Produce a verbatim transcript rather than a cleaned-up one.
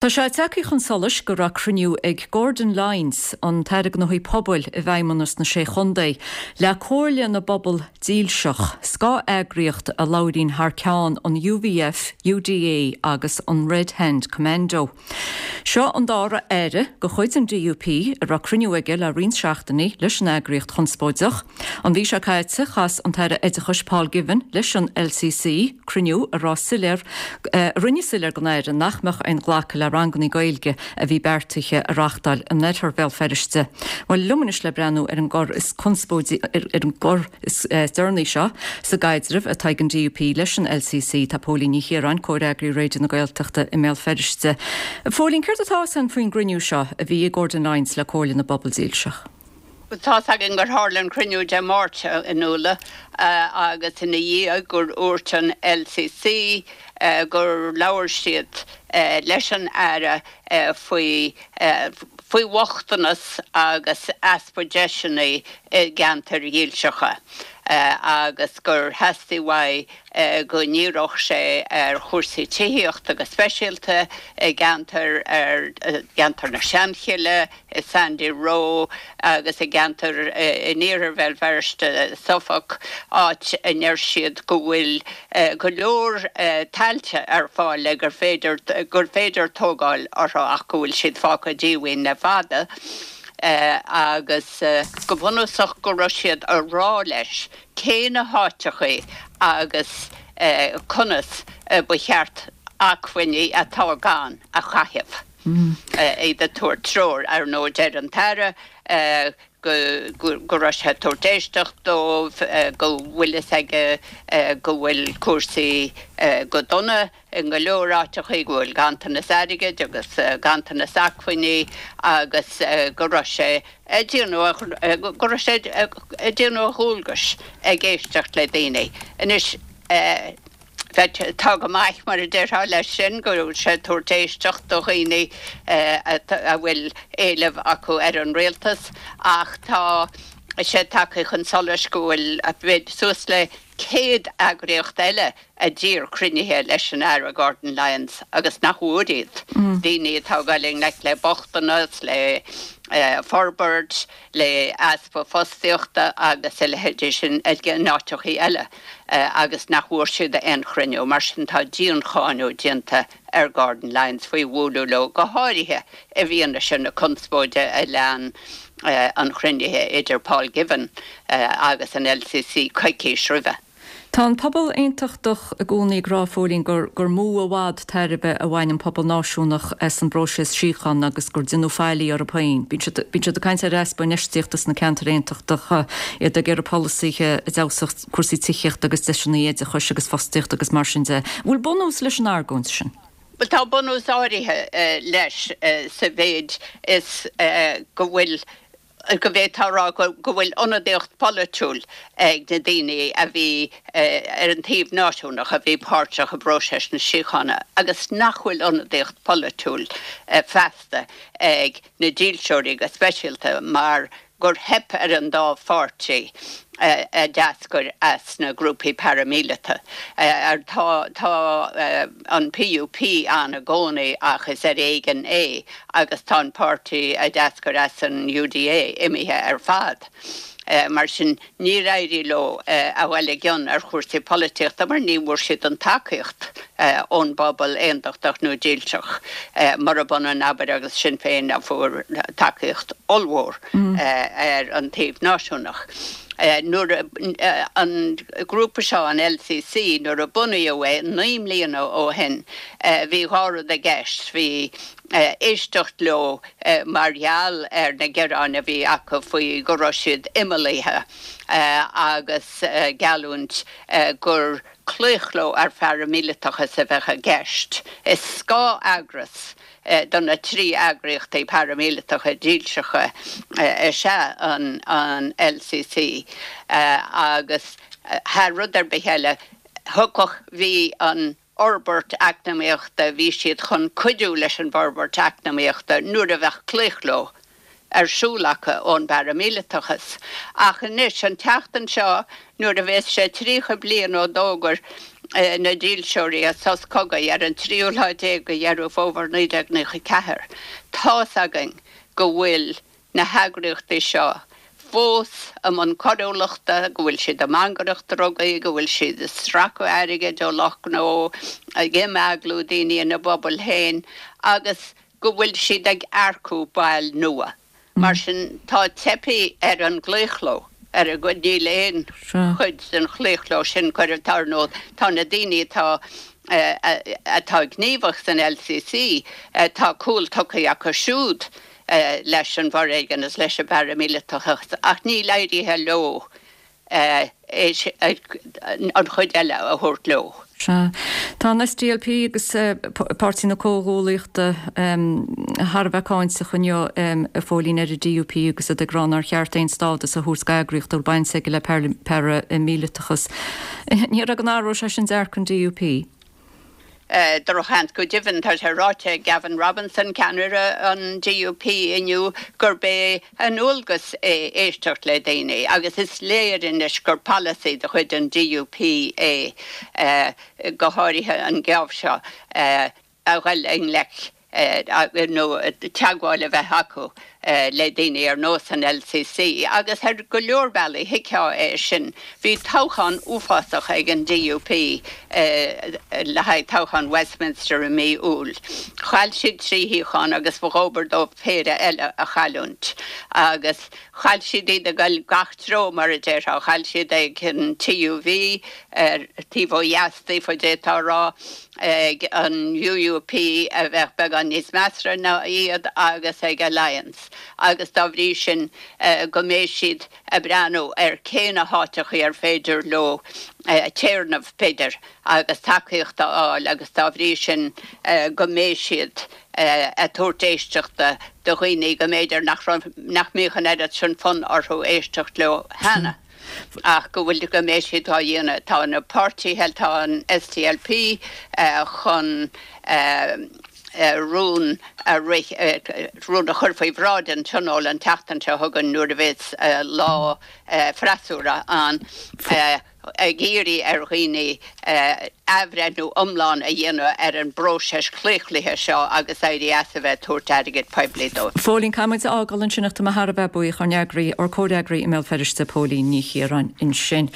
Tá sé tagtha chun solais go raibh cruinniú ag Gordon Lyons, an tAire Gnóthaí Pobail i bhFeidhmeannas na Sé Chontae, le Comhairle na bPobal Dílseach, scáth-eagraíocht a labhraíonn thar ceann an U V F, U D A agus an Red Hand Commando. Seo an dara aire de chuid an D U P a raibh cruinniú aige le roinnt seachtainí leis an eagraíocht chonspóideach. An mhí seo caite, chas an tAire Oideachais Paul Givan leis an L C C, cruinniú a raibh soiléir a rinne soiléir don aire nach mbeadh aon ghlacadh le ranganna Gaeilge a bhí beartaithe a reáchtáil in oirthear Bhéal Feirste. Well, liom anois le breathnú ar an gcor is conspóidí ar an gcor is eh, deireanaí seo sa gcaidreamh atá ag an D U P leis an L C C, tá Póilín Ní Chiaráin, comhfhreagraí Raidió na Gaeltachta i mBéal Feirste. Phóilín, céard atá san faoin gcruinniú seo a bhí ag Gordon Lyons le Comhairle na bPobal Dílseach? Tá againn gur tharla an cruinniú Dé Máirt in Uladh agus ina dhiaidh gur dhúirt an L C C gur labhair siad leis an aire faoi faoi bhochtanas agus easpa deiseanna i gceantair dhílseacha, agus gur theastaigh uaidh go ndíreodh sé ar chúrsaí tithíochta go speisialta i gceantar ar gceantar na Seanchille, i Sandy Row agus i gceantar in iarthar Bhéal Feirste, Suffolk, áit a ndeir siad go bhfuil go leor tailte ar fáil le gur féidir gur féidir tógáil orthu ach go bhfuil siad fágtha díomhaoin le fada. Uh, agus uh, go bunúsach go raibh siad ag rá leis cé na háiteacha agus uh, conas uh, ba cheart acmhainní atá gann a chaitheamh. Mm. Uh, iad ag tabhairt treoir ar nó deir an tAire uh, go go raibh sé ag tabhairt éisteacht dóibh, go bhfuil fhios aige go bhfuil cúrsaí go dona in go leor áiteacha, go bhfuil ganntanas airgid agus ganntanas acmhainní, agus go raibh sé go raibh sé ag déanamh a dhualgais ag éisteacht le daoine. Anois tá go maith, mar a déarfá, leis sin go bhfuil sé tabhairt éisteacht do dhaoine a bhfuil éilimh acu ar an rialtas, ach tá sé tagtha chun solais go bhfuil bhfuil suas le céad eagraíocht eile a d'iarr cruinnithe leis an Aire Gordon Lyons agus nach bhfuair iad. Mm. Daoine atá ag dul i ngleic le bochtanas, le uh, forbairt, le easpa fostaíochta agus a leithéidí sin in áiteachaí eile uh, agus nach bhfuair siad aon chruinniú. Mar sin tá diancháineadh déanta ar Gordon Lyons faoi bhualadh leo, go háirithe i bhfianaise na conspóide a lean uh, an chruinnithe idir Paul Givan uh, agus an L C C coicís roimhe. Tá an pobal aontachtach i gcónaí ag rá, Phóilín, gur gur mó i bhfad tairbhe a bhain an pobal náisiúnach as an bpróiseas síochána agus gur déanadh faillí orthu féin. Bíonn siad ag caint ar easpa infheistíochta sna ceantair aontachtacha, iad ag iarraidh polasaithe a d'fheabhsódh cúrsaí tithíochta agus deiseanna oideachais agus fostaíochta agus mar sin de. Bhfuil bunús leis an argóint sin? Well, tá bunús áirithe uh, leis uh, sa mhéid is uh, go bhfuil go bhféadfá rá go bhfuil ionadaíocht polaitiúil ag na daoine a bhí ar an taobh náisiúnach a bhí páirteach i bpróiseas na síochána agus nach bhfuil ionadaíocht polaitiúil feasta ag na dílseoirí go speisialta, mar gur theip ar an dá pháirtí a d'eascair as na grúpaí paraimíleata. Tá tá an P U P ann i gcónaí ach is ar éigean é, agus tá an páirtí a d'eascair as an U D A imithe ar fad. Mar sin níor éirigh leo a bhfuil i gceann ar chúrsaí polaitíochta, mar ní bhfuair siad an tacaíocht ón bpobal aontachtach nó dílseach, mar a b'ionann, abair, agus Sinn Féin a fuair tacaíocht ollmhór ar an taobh náisiúnach. Nuair an grúpa seo, an L C C, nuair a bunaíodh é naoi mbliana ó shin, bhí dhá rud i gceist: bhí éisteacht leo mar gheall ar na gearáin a bhí acu faoi go raibh siad imeallaithe, agus geallúint gur claochló ar pharaimíleatachas a bheith i gceist. Is scáth-eagras do na trí eagraíochtaí paraimíleatacha dílseacha is ea an, an L C C, agus thar rud ar bith eile thugach bhí an fhorbairt eacnamaíochta, bhí siad chun cuidiú leis an bhforbairt eacnamaíochta nuair a bheadh claochló ar siúl acu ón bparaimíleatachas. Ach anois, an tseachtain seo, nuair a bheas sé tríocha bliain ó d'fhógair na dílseoirí as sos cogaidh ar an tríú lá déag de Dheireadh Fómhair naoi déag nócha ceathair. Tá's againn go bhfuil na heagraíochtaí seo fós i mbun coiriúlachta, go bhfuil siad ag mangaireacht drugaí, go bhfuil siad ag sracadh airgid ó lucht gnó, ag imeaglú daoine ina bpobail féin agus go bhfuil siad ag earcú baill nua. Mar sin, tá teipthe ar an gclaochló, ar a gcuid, níl aon chuid den chlaochló sin curtha, tá, ar ndóigh, tá na daoine atá atá gníomhach san LCC, tá cúl tugtha acu siúd leis an bhforéigean is leis an bparaimíleatachas ach níl éirithe leo an chuid eile a thabhairt leo. Sea. Tá an SDLP agus Páirtí na Comhghuaillíochta thar a bheith cáinteach inniu, a Phóilín, ar an DUP agus iad ag rá nár cheart aon stádas a thabhairt d'eagraíocht a bhfuil baint aige le paraimíleatachas. Ní raibh an athróidh sé sin dearcadh an DUP. Drochsheans go deimhin, tá sé ráite ag Gavin Robinson, ceannaire an DUP inniu, gurb é a ndualgas é éisteacht le daoine agus is léir anois gur polasaí de chuid an DUP é, go háirithe an geábh seo, a dhul i ngleic nó teagmháil a bheith acu le daoine ar nós an LCC agus ar go leor bealaí thuigfeá é sin. Bhí toghchán uafásach ag an DUP le haghaidh toghchán Westminster i mí Iúil. Chaill siad trí shuíochán agus ba dhóbair dóibh péire eile a chailliúint agus chaill siad iad ag dul gach treo mar a déarfá. Chaill siad ag an TUV ar taobh ó dheas daofa d'fhéadfá a rá, ag an UUP a bheadh beagán níos measartha ná iad agus ag Alliance agus dá bhrí sin go mbeidh siad ag breathnú ar cé na háiteachaí ar féidir leo téarnamh b'fhéidir agus tacaíocht a fháil agus dá bhrí sin go mbeidh siad ag tabhairt éisteachta do dhaoine go mb'fhéidir nach raibh nach mbíodh an oiread sin fonn orthu éisteacht leo cheana. Ach go bhfuil go mbeidh siad á dhéanamh. Tá na páirtithe, tá an SDLP chun rún a rith, rún a chur faoi bhráid an Tionóil an tseachtain seo chugainn nuair a bheas lá freasúra ann, ag iarraidh ar dhaoine athbhreithniú iomlán a dhéanamh ar an bpróiseas claochlaithe seo agus éirí as a bheith ag tabhairt airgead poiblí dóibh. Phóilín, caithfidh muid a fhágáil ansin ach tá mé thar a bheith buíoch ár n-eagraí, ár comhfhreagraí i mBéal Feirste, Póilín Ní Chiaráin ansin.